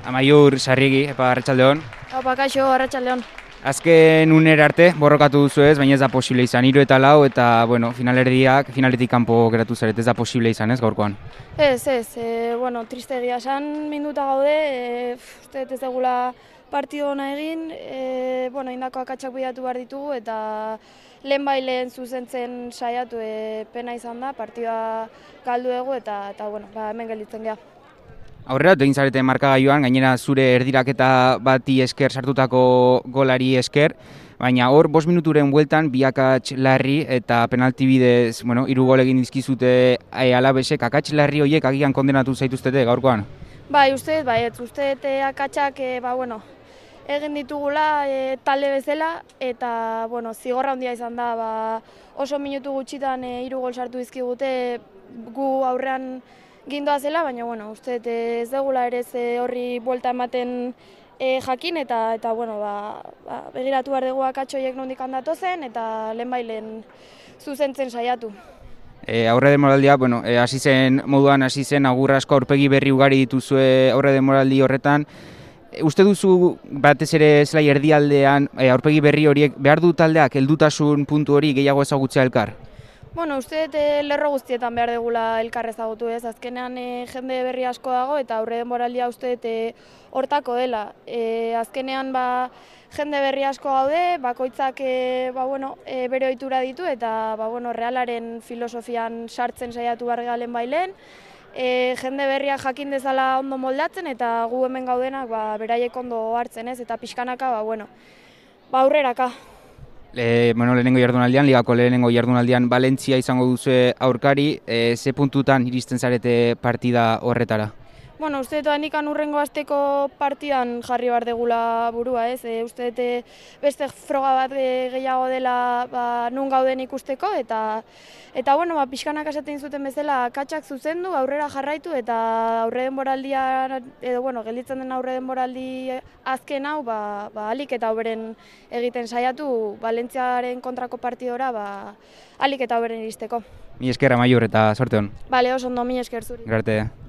Amaiur Sarriegi, arratsaldeon. Opa, kaixo, arratsaldeon. Azken unera arte borrokatu duzu ez, baina ez da posible izan. 3 eta 4 eta, bueno, finaletik kanpo geratu zarete, ez da posible izan ez gaurkoan. Ez, triste egia esan minuta gaude, uste ez degula partido ona egin, indako akatsak bidatu behar ditugu eta lehen zuzentzen saiatu pena izan da, partida galdu dugu eta hemen gelditzen geha. Aurrera, egin zarete markagailuan, gainera zure erdiraketa bati esker sartutako golari esker, baina hor 5 minuturen bueltan bi akats larri eta penalti bidez, 3 gol egin dizkizute Alabesek, akats larri horiek agian kondenatu zaituztete gaurkoan? Bai, uste akatsak, egin ditugula talde bezala eta, zigorra handia izan da, oso minutu gutxitan 3 gol sartu dizkigute gu aurrean gindoa zela, baina, uste ez degula ere horri buelta ematen jakin eta begiratu behar dugu akatsoiek nondik handatu zen eta lehen zuzentzen saiatu. Aurre denboraldia, hasi zen agur asko aurpegi berri ugari dituzue aurre denboraldi horretan. Uste duzu batez ere zelai erdialdean aurpegi berri horiek behar du taldeak heldutasun puntu hori gehiago ezagutzea elkar? Uste lerro guztietan behar degula elkar ezagutu ez, azkenean jende berri asko dago eta aurre denboraldia uste hortako dela. Azkenean jende berri asko gaude, bakoitzak bere ohitura ditu eta Realaren filosofian sartzen saiatu behar galen bailen. Jende berriak jakin dezala ondo moldatzen eta gu hemen gaudenak beraiek ondo hartzen ez eta pixkanaka aurreraka. Lehenengo jardunaldian, ligako lehenengo jardunaldian Valentzia izango duzu aurkari, ze puntutan iristen zarete partida horretara? Uste nikan urrengo asteko partidan jarri behar degula burua, ez? Uste beste froga bat gehiago dela nun gauden ikusteko eta pixkanak esaten zuten bezala akatsak zuzendu, aurrera jarraitu eta aurre denboraldia gelditzen den aurre denboraldi azken hau alik eta hoberen egiten saiatu Valentziaren kontrako partidora alik eta hoberen iristeko. Mi esker Amaiur eta sorte hon. Bale, oso ondo, mi esker zuri. Garte.